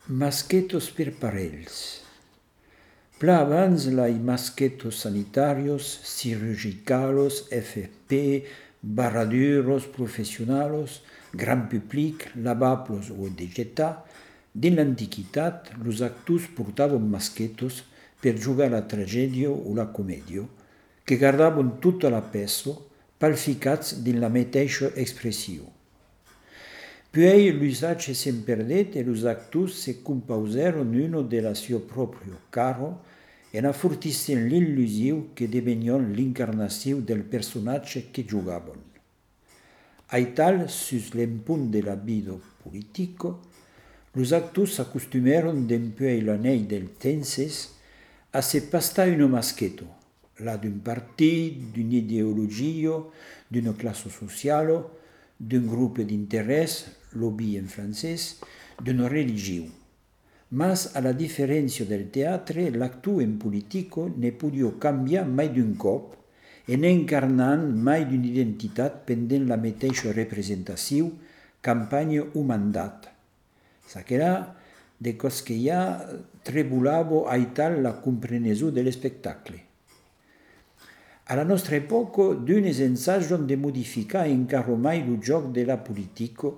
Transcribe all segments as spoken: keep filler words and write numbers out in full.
Masquetos per parells. Pla abans lai masquetos sanitarios, cirurgicalos, F F P, barraduros professionalos, gran public, lavablos o digità, din l'antiquitat, los actus portavan masquetos per jugar la tragedia o la comedia, che guardavan tutta la peso, palficats din la meteixa expressiu. Puis l'usage s'en perdet e los actus se compauseron uno de la suo proprio caro en affurtissent l'illusiu che devenion l'incarnatiu del personatge che jugavan. Aital, sus l'empunt de la vida politico, los actus s'acostumeron dempuèi l'anell del tenses a se pastar uno masqueto, la d'un partit, d'una ideologia, d'una classe sociala, d'un grup d'interès, lobby en francès, d'una religió. Mas, a la diferència del teatre, l'actu en politico ne podia canviar mai d'un cop e n'encarnant mai d'una identitat pendent la mateixa representació, campanya o mandat. S'aquerà de cos que ja trebulava aital la comprenesió de l'espectacle. A la nostra epoca, d'unes ensagen de modificar encara mai lo joc de la politica,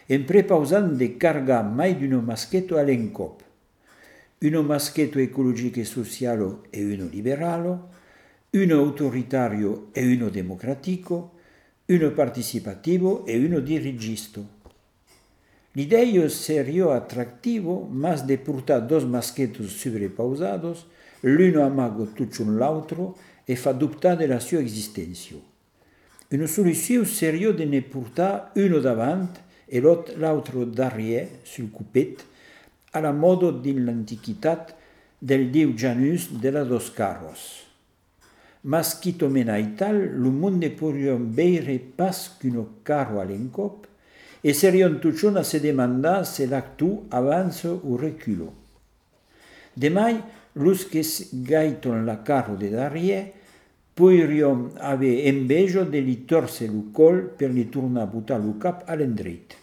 en prepausant de cargar mai d'uno masqueto a l'encop. Uno masqueto ecologico e sociale e uno liberale, uno autoritario e uno democratico, uno participativo e uno dirigista. L'idea seria attrattivo, mas de portar dos masquetos sobrepausados, l'uno amaga tutto l'altro e fa dubtar de la sua existència. Una solució seria de ne portar uno davant e l'altro darrière, sul cupet, a la moda din l'antiquitat del diu Janus de la dos carros. Mas quito mena aital, lo mond ne podrion veire pas qu'uno carro a l'encop e serion tuchon a se demandar se l'actu avanza o reculo. Demai, los que gaiton la carro de darrière podrion haver enveja de li torcer lo col per li tornar a botar lo cap a l'endret.